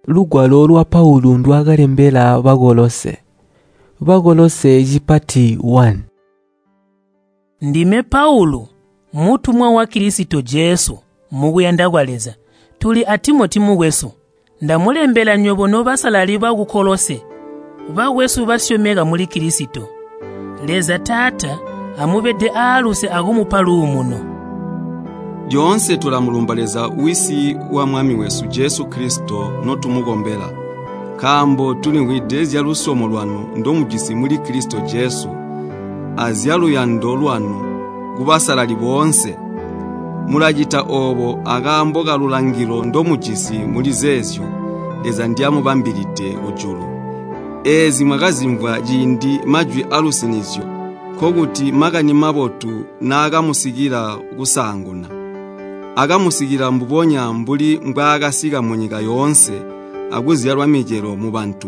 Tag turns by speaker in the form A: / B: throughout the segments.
A: Lugwalo lwa Paulu ndwaakalembela Bakolose. Bakolose cipati 1.
B: Ndime Paulu, mutumwa wa Kilisito Jesu mukuyanda kwa Leza. Tuli a Timoti mukwesu. Ndamulembela nywebo nobasalali baku Kolose, bakwesu basyomeka muli Kilisito. Leza Taata amubede aaluse akumupa luumuno.
C: Lyoonse tulamulumba Leza Wisi wa Mwami wesu Jesu Kilisito notumukombela, nkaambo tulimvwide zyalusyomo lwanu ndomujisi muli Kilisito Jesu azyaluyando lwanu kubasalali boonse. Mulacita oobo akaambo kalulangilo ndomujisi muli zeezyo Leza ndyamubambilide kujulu. Eezi mwakazimvwa ciindi majwi aalusinizyo, nkokuti Makani Mabotu naakamusikila kusaanguna. Akamusikila mbubonya mbuli mbwaakasika munyika yoonse akuzyalwa micelo mubantu,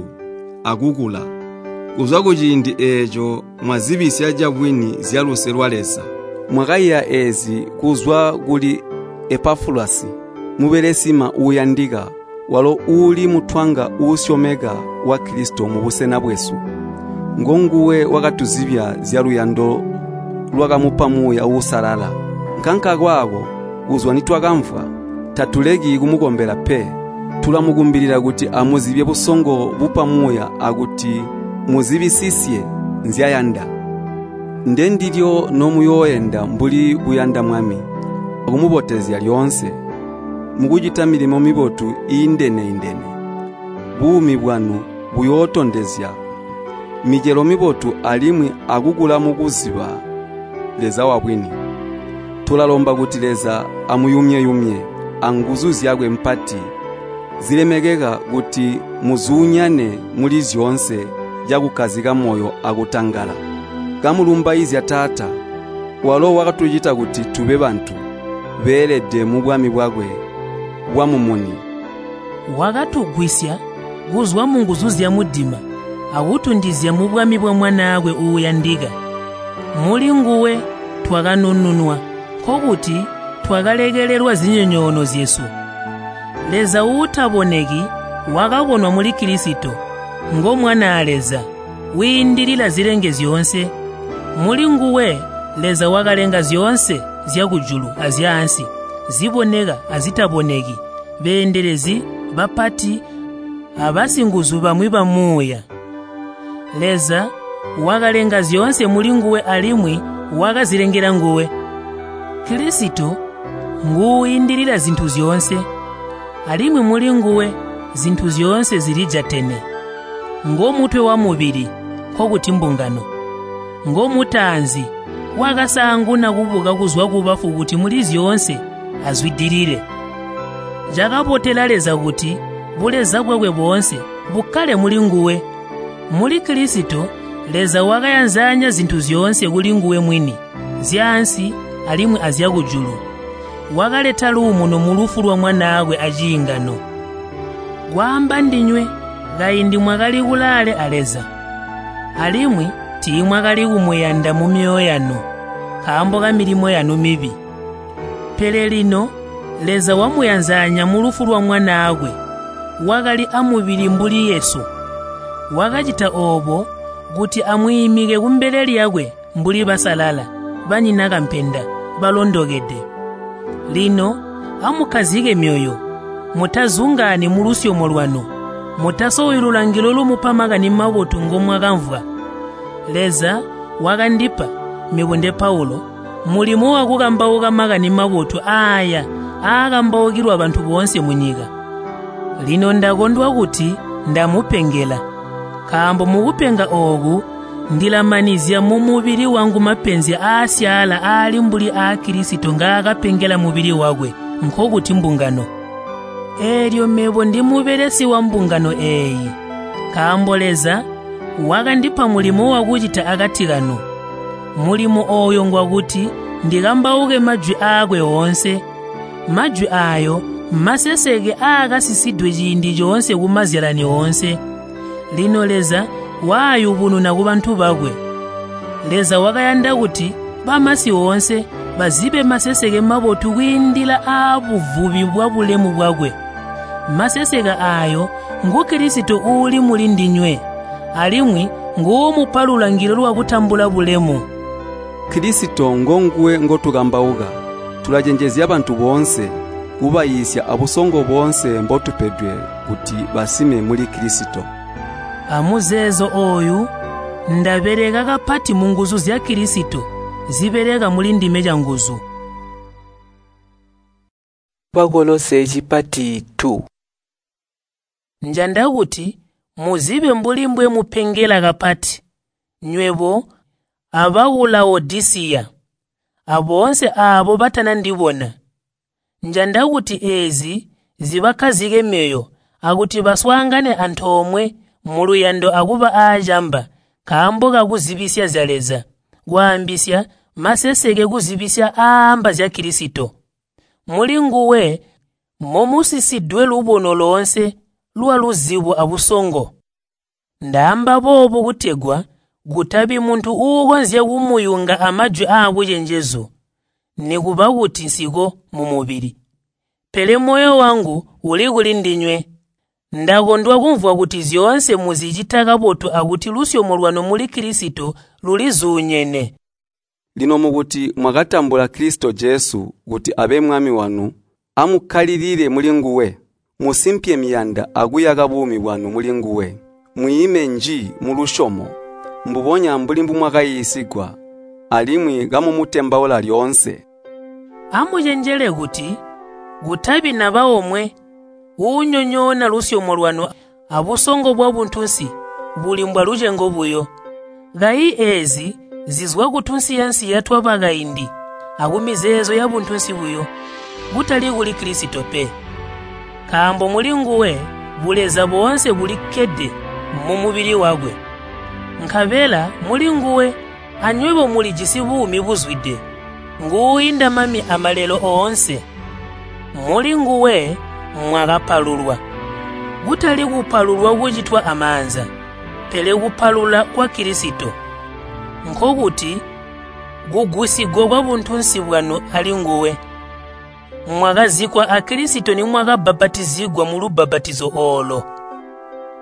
C: akukula. Kuzwa kuciindi eeco mwazibisya cabwini zyaluse lwa Leza. Mwakaiya eezi kuzwa kuli Epafulasi, mubelesima uuyandika, walo uuli mutwanga uusyomeka wa Kilisito mubusena bwesu. Ngonguwe wakatuzibya zyaluyando lwakamupa Muuya Uusalala. Nkankakaako kuzwa nitwakamvwa, tatuleki kumukombela pe. Tulamukumbilila kuti amuzibye busongo bupa Muuya akuti muzibisisye nzyayanda. Ndendilyo nomuyooenda mbuli buyanda Mwami, akumubotezya lyoonse, mukucita milimo mibotu iindene-indene. Buumi bwanu buyootondezya micelo mibotu alimwi akukula mukuziba Leza wabwini. Tulalomba kuti Leza amuyumye-yumye anguzu zyakwe mpati zilemekeka kuti muzuunyane muli zyoonse cakukkazika moyo akutangala. Kamulumbaizya Taata, walo wakatucita kuti tube bantu beelede mubwami bwakwe bwamumuni.
B: Wakatugwisya kuzwa munguzu zyamudima akutundizya mubwami bwa Mwanaakwe uuyandika. Mulinguwe twakanununwa, nkokuti twakalekelelwa zinyonyoono zyesu. Leza uutaboneki wakabonwa muli Kilisito, ngo Mwanaa Leza, wiindilila zilenge zyoonse. Mulinguwe Leza wakalenga zyoonse zyakujulu azyaansi, ziboneka azitaboneki, beendelezi, bapati, abasinguzu bamwi bamuuya. Leza wakalenga zyoonse mulinguwe alimwi wakazilengela nguwe. Kilisito nguuindilila zintu zyoonse, alimwi mulinguwe zintu zyoonse zilijatene. Ngomutwe wamubili, nkokuti mbungano. Ngomutaanzi wakasaanguna kubuka kuzwa kubafu kuti muli zyoonse azwidilile. Cakabotela Leza kuti buleza bwakwe boonse bukkale mulinguwe. Muli Kilisito Leza wakayanzanya zintu zyoonse kulinguwe mwini, zyaansi alimwi azyakujulu. Wakaleta luumuno mulufu lwa Mwanaakwe aciingano. Kwaamba ndinywe, kaindi mwakali kulaale a Leza, alimwi tiimwakali kumuyanda mumyoyo yanu nkaambo kamilimo yanu mibi. Pele lino Leza wamuyanzanya mulufu lwa Mwanaakwe, wakali amubili mbuli Yesu. Wakacita oobo kuti amwiimike kumbele lyakwe mbuli basalala, banyina kampenda, balondokede. Lino amukkazike myoyo, mutazungaani mulusyomo lwanu, mutasowi lulangilo lumupa Makani Mabotu ngomwakamvwa. Leza wakandipa, mebo nde Paulo, mulimo wakukambauka Makani Mabotu aaya aakambaukilwa bantu boonse munyika. Lino ndakondwa kuti ndamupengela, nkaambo mukupenga ooku ndilamanizya mumubili wangu mapenzi aasyaala aali mbuli aa Kilisito ngaakapengela mubili wakwe, nkokuti mbungano. Eelyo mebo ndimubelesi wa mbungano eeyi, nkaambo Leza wakandipa mulimo wakucita akati kanu. Mulimo ooyo ngwakuti ndikambauke majwi aakwe oonse. Majwi aayo maseseke aakasisidwe ciindi coonse kumazyalani oonse. Lino Leza waayubununa kubantu bakwe. Leza wakayanda kuti bamasi oonse bazibe maseseke mabotu kwiindila aabuvubi bwabulemu bwakwe. Maseseke aayo ngu Kilisito uuli mulindinywe, alimwi nguumupa lulangilo lwakutambula bulemu.
C: Kilisito ngonguwe ngotukambauka. Tulacenjezya bantu boonse, kubayiisya abusongo boonse mbotupedwe kuti basime muli Kilisito.
B: Amuzeezo ooyu ndabeleka kapati munguzu zya Kilisito zibeleka mulindime canguzu.
A: Bakolose cipati 2.
B: Njanda kuti muzibe mbuli mbwemupengela kapati, nywebo abaku Laodisiya, aboonse aabo batanandibona. Njanda kuti eezi zibakkazike myoyo akuti baswaangane antoomwe muluyando akuba aacamba nkaambo kakuzibisya zya Leza, kwaambisya maseseke kuzibisya aamba zya Kilisito. Mulinguwe momusisidwe lubono loonse lwaluzibo abusongo. Ndaamba boobu kutegwa kutabi muntu uukonzya kumuyunga amajwi aabucenjezu, nikuba kuti nsiko mumubili. Pele moyo wangu uli kulindinywe. Ndakondwa kumvwa kuti zyoonse muzicita kabotu akuti lusyomo lwanu muli Kilisito lulizuunyene.
C: Lino mukuti mwakatambula Kilisito Jesu kuti abe Mwami wanu, amukkalilile mulinguwe. Musimpye miyanda akuyaka buumi bwanu mulinguwe. Mwiime nji mulusyomo, mbubonya mbuli mbumwakayiisigwa, alimwi kamumutembaula lyoonse.
B: Amucenjele kuti kutabi naba omwe uunyonyoona lusyomo lwanu abusongo bwabuntunsi buli mbwalucengo buyo. Kayi eezi zizwa kutunsiyansiya twabakaindi akumizeezo yabuntunsi buyo, kutali kuli Kilisito pe. Nkaambo mulinguwe buleza boonse bulikkede mumubili wakwe. Nkabela mulinguwe anywebo mulijisi buumi buzwide, nguuinda mami amalelo oonse. Mulinguwe mwakapalulwa, kutali kupalulwa kucitwa amaanza, pele kupalula kwa Kilisito, nkokuti kugusigwa kwabuntunsi bwanu alinguwe. Mwakazikwa a Kilisito nimwakabbapatizigwa mulubbapatizo oolo.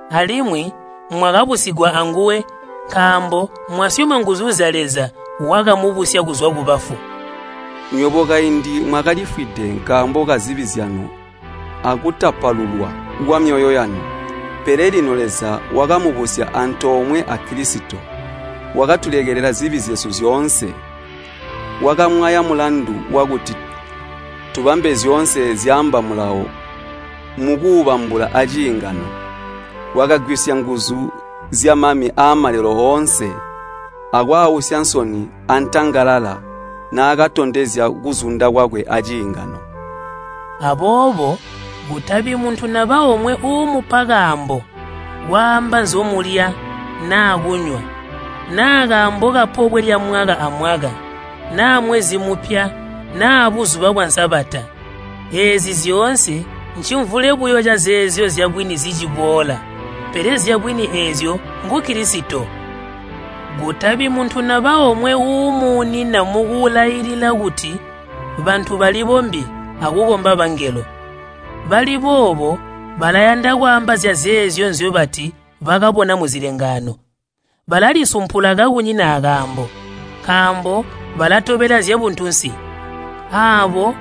B: Alimwi mwakabusigwa anguwe nkaambo mwasyoma nguzu zya Leza wakamubusya kuzwa kubafu.
C: Nywebo kaindi mwakalifwide nkaambo kazibi zyanu akutapalulwa kwamyoyo yanu. Pele lino Leza wakamubusya antoomwe a Kilisito, wakatulekelela zibi zyesu zyoonse. Wakamwaya mulandu wakuti tubambe zyoonse zyaamba mulawo mukuubambula aciingano. Wakagwisya nguzu zyamami aamalelo oonse akwaawusya nsoni antangalala naakatondezya kuzunda kwakwe aciingano.
B: Aboobo kutabi muntu naba omwe uumupa kaambo kwaamba nzomulya naa kunywa, naa kaambo kapobwe lya mwaka amwaka, naa mwezi mupya, naa buzuba bwa Nsabata. Eezi zyoonse ncimvule buyo cazeezyo zyabwini ziciboola, pele zyabwini eezyo ngu Kilisito. Kutabi muntu naba omwe uumuunina mukulailila kuti bantu balibombi akukomba bangelo. Bali boobo balayanda kwaamba zyazeezyo nzyobati bakabona muzilengaano. Balalisumpula kakunyina akaambo, nkaambo balatobela zyabuntunsi. Aabo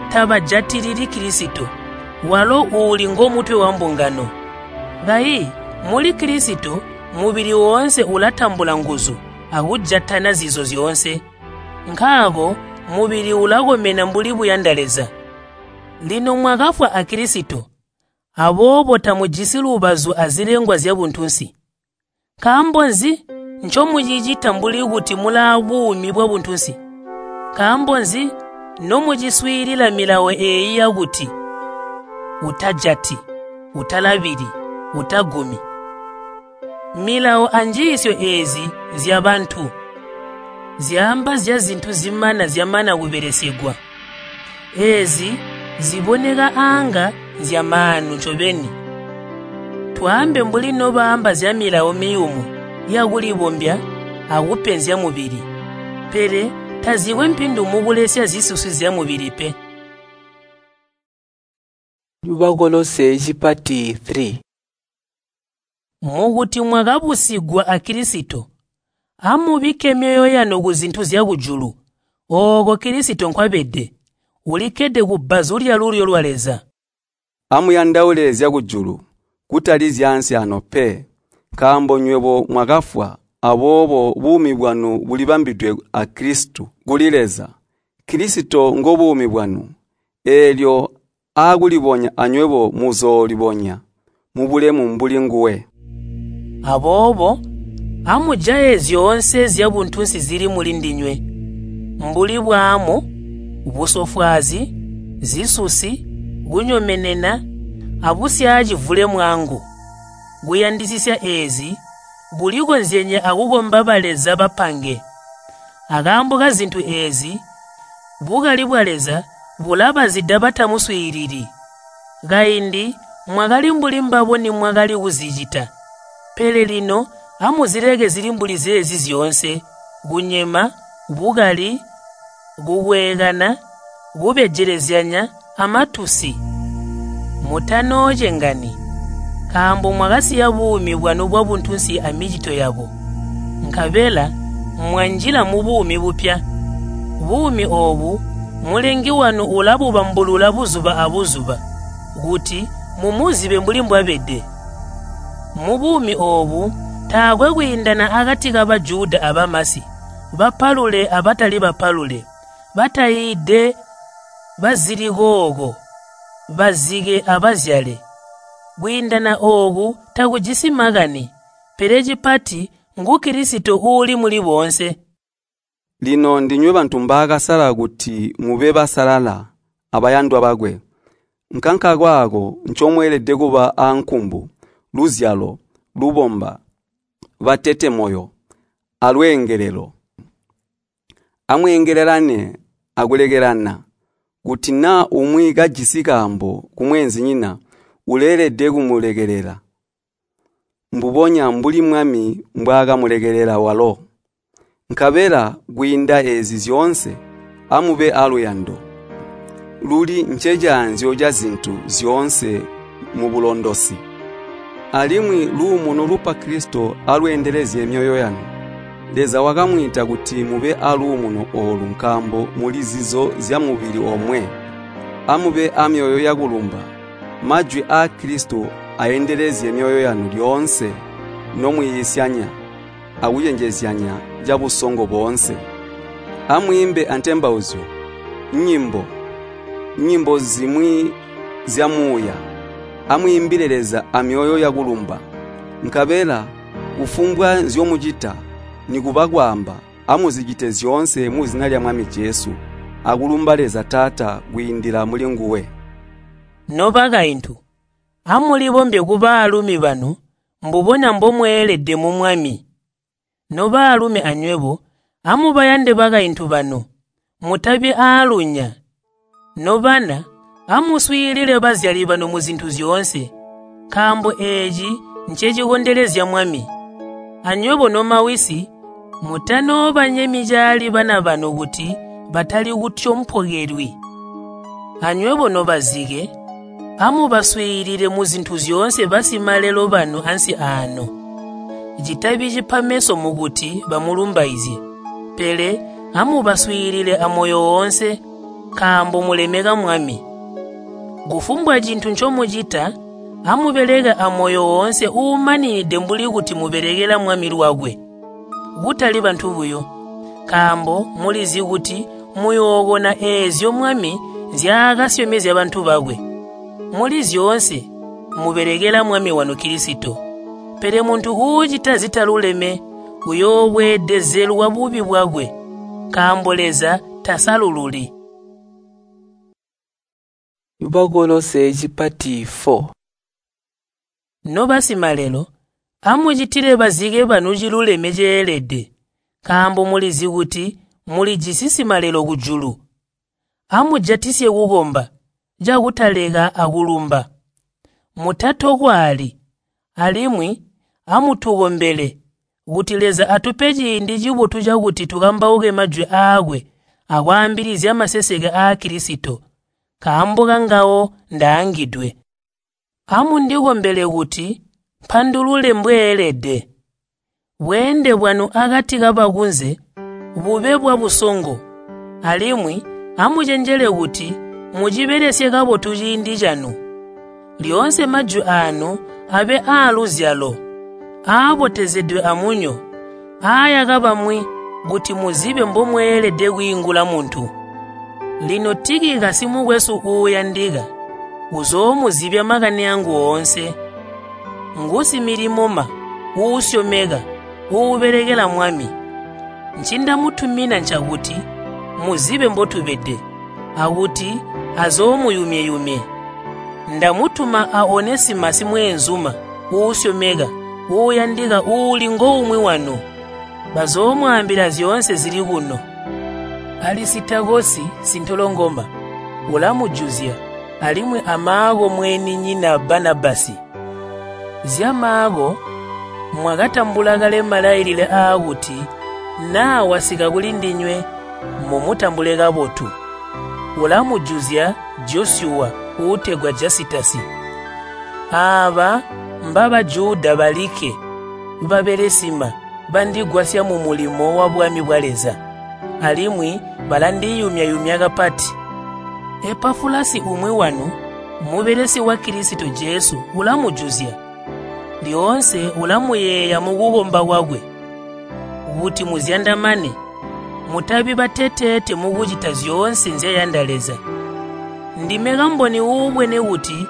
B: tabajatilili Kilisito, walo uuli ngomutwe wambungano. Kayi muli Kilisito mubili woonse ulatambula nguzu akujatana zizo zyoonse. Nkaako mubili ulakomena mbuli buyanda Leza. Lino mwakafwa a Kilisito, aboobo tamujisi lubazu azilengwa zyabuntunsi. Nkaambo nzi ncomucicita mbuli kuti mulaa buumi bwabuntunsi? Nkaambo nzi nomuciswiilila milawo eeyi yakuti, utajati, utalabili, utagumi? Milawo anjiisyo eezi nzyabantu, zyaamba zyazintu zimana zyamana kubelesegwa. Eezi ziboneka aanga nzyamaanu ncobeni. Twaambe mbuli nobaamba zyamilawo miyumu yakulibombya akupenzya mubili, pele tazikwe mpindu mukulesya zisusi zyamubili pe.
A: Bakolose cipati 3.
B: Mukuti mwakabusigwa a Kilisito, amubikke myoyo yanu kuzintu zyakujulu, ooko Kilisito nkwabede, ulikkede kubbazu lyalulyo lwa Leza.
C: Amuyandaule zyakujulu, kutali zyaansi ano pe, nkaambo nywebo mwakafwa, aboobo buumi bwanu bulibambidwe a Kilisito kuli Leza. Kilisito ngobuumi bwanu. Eelyo aakulibonya anywebo muzoolibonya mubulemu mbuli nguwe.
B: Aboobo amujaye zyoonse zyabuntunsi zili mulindinywe, mbuli bwaamu, busofwaazi, zisusi, kunyomenena, abusyaacivule-mwangu. Kuyandisisya eezi kulikonzyenye akukomba baleza bapange. Akaambo kazintu eezi, bukali bwa Leza bulabazida batamuswiilili. Kaindi mwakali mbuli mbabo nimwakali kuzicita, pele lino amuzileke zili mbuli zeezi zyoonse: kunyema, bukali, kukweekana, kubejelezyanya amatusi. Mutanoocengani, nkaambo mwakasiya buumi bwanu bwabuntunsi amicito yabo, nkabela mwanjila mubuumi bupya. Buumi oobu Mulengi wanu ulabubambulula buzuba abuzuba kuti mumuzibe mbuli mbwabede. Mubuumi oobu taakwe kwiindana akati ka Bajuda abamasi, bapalule abatali bapalule, batayiide bazilikooko, bazike abazyale. Kwiindana ooku takujisi makani, pele cipati ngu Kilisito uuli muli boonse.
C: Lino ndinywe bantu mbaakasala kuti mube basalala abayandwa bakwe. Nkankakaako ncomweelede kuba aankumbu, luzyalo, lubomba, batete moyo, alweengelelo. Amweengelelane akulekelana. Kuti naa umwi kajisi kaambo kumweenzinyina, uleelede kumulekelela, mbubonya mbuli Mwami mbwaakamulekelela walo. Nkabela kwiinda eezi zyoonse, amube aaluyando, luli ncecaanzyo cazintu zyoonse mubulondosi. Alimwi luumuno lupa Kilisito alweendelezye myoyo yanu. Leza wakamwiita kuti mube aaluumuno oolu nkaambo muli zizo zyamubili omwe. Amube amyoyo yakulumba. Majwi aa Kilisito aendelezye myoyo yanu lyoonse nomwiisyanya akucenjezyanya cabusongo boonse. Amwiimbe antembauzyo, nyimbo, nyimbo zimwi zya muuya. Amwiimbile Leza amyoyo yakulumba. Nkabela kufumbwa nzyomucita nikuba kwaamba, amuzicite zyoonse muzina lya Mwami Jesu, akulumba Leza Taata kwiindila mulinguwe.
B: Nobakaintu, amulibombye kubaalumi banu mbubonya mbomweelede mu Mwami. Nobaalumi anywebo, amubayande bakaintu banu, mutabi aalunya. Nobana, amuswiilile bazyali banu muzintu zyoonse, nkaambo eeci ncecikondelezya Mwami. Anywebo nomawisi, mutanoobanyemyi caali bana banu kuti batali kutyompokelwi. Anywebo nobazike, amubaswiilile muzintu zyoonse basimalelo banu ansi aano. Citabi cipa meso mukuti bamulumbaizye, pele amubaswiilile amoyo woonse, nkaambo mulemeka Mwami. Kufumbwa cintu ncomucita, amubeleke amoyo woonse uumaninide mbuli kuti mubelekela Mwami lwakwe, kutali bantu buyo, nkaambo mulizi kuti muyookona eezyo Mwami nzyaakasyomezya bantu bakwe. Muli zyoonse mubelekela Mwami wanu Kilisito. Pele muntu uucita zitaluleme uyoobweedezelwa bubi bwakwe, nkaambo Leza tasalululi.
A: Bakolose cipati 4.
B: Nobasimalelo, amucitile bazike banu ciluleme ceelede, nkaambo mulizi kuti mulijisi simalelo kujulu. Amujatisye kukomba cakutaleka akulumba. Mutatokwaali, alimwi amutukombele kuti Leza atupe ciindi cibotu cakuti tukambauke majwi aakwe akwaambilizya maseseke aa Kilisito, nkaambo kangawo ndaangidwe. Amundikombele kuti mpandulule mbweelede. Bweende bwanu akati kabakunze bube bwabusongo, alimwi amucenjele kuti mucibelesye kabotu ciindi canu. Lyoonse majwi aanu abe aaluzyalo, aabotezedwe amunyo, aayaka bamwi kuti muzibe mbomweelede kwiingula muntu. Lino Tikikasi mukwesu uuyandika uzoomuzibya makani angu oonse. Ngusimilimoma uusyomeka uubelekela Mwami. Ncindamutumina ncakuti muzibe mbotubede, akuti azoomuyumye-yumye. Ndamutuma a Onesimasi mweenzuma uusyomeka uuyandika uuli ngoumwi wanu. Bazoomwaambila zyoonse zili kuno. Alisitakosi sintolongoma ulamujuzya, alimwi a Maako mweeninyina Banabasi. Zya Maako mwakatambula kale malailile aakuti naa wasika kulindinywe mumutambule kabotu. Ulamujuzya Josyuwa uutegwa Jasitasi. Aaba mbaba Juda balikke babelesima bandigwasya mumulimo wa bwami bwa Leza, alimwi balandiyumya-yumya kapati. Epafulasi umwi wanu, mubelesi wa Kilisito Jesu, ulamujuzya. Lyoonse ulamuyeeya mukukomba kwakwe, kuti muzyandamane, mutabi bateteete mukucita zyoonse nzyayanda Leza. Ndime kamboni uubwene kuti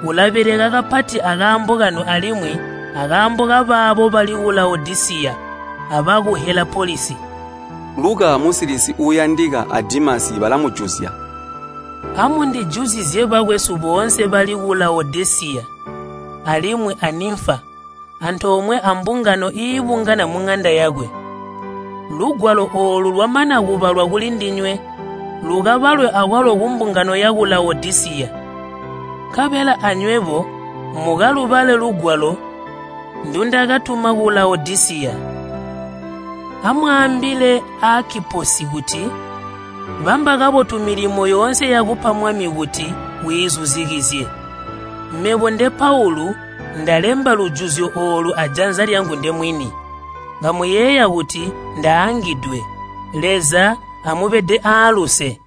B: ulabeleka kapati akaambo kanu alimwi akaambo kabaabo bali ku Laodisiya abaku Helapolisi.
C: Luka musilisi uuyandika a Dimasi balamujuzya.
B: Amundijuzizye bakwesu boonse bali ku Laodisiya alimwi a Nimfa, antoomwe ambungano iibungana muŋanda yakwe. Lugwalo oolu lwamana kubalwa kulindinywe, lukabalwe akwalo kumbungano yaku Laodisiya. Nkabela anywebo mukalubale lugwalo ndundakatuma ku Laodisiya. Amwaambile Akiposi kuti, bamba kabotu milimo yoonse yakupa Mwami kuti wiizuzikizye. Mebo nde Paulu ndalemba lujuzyo oolu ajanza lyangu ndemwini. Kamuyeeya kuti ndaangidwe. Leza amubede aaluse.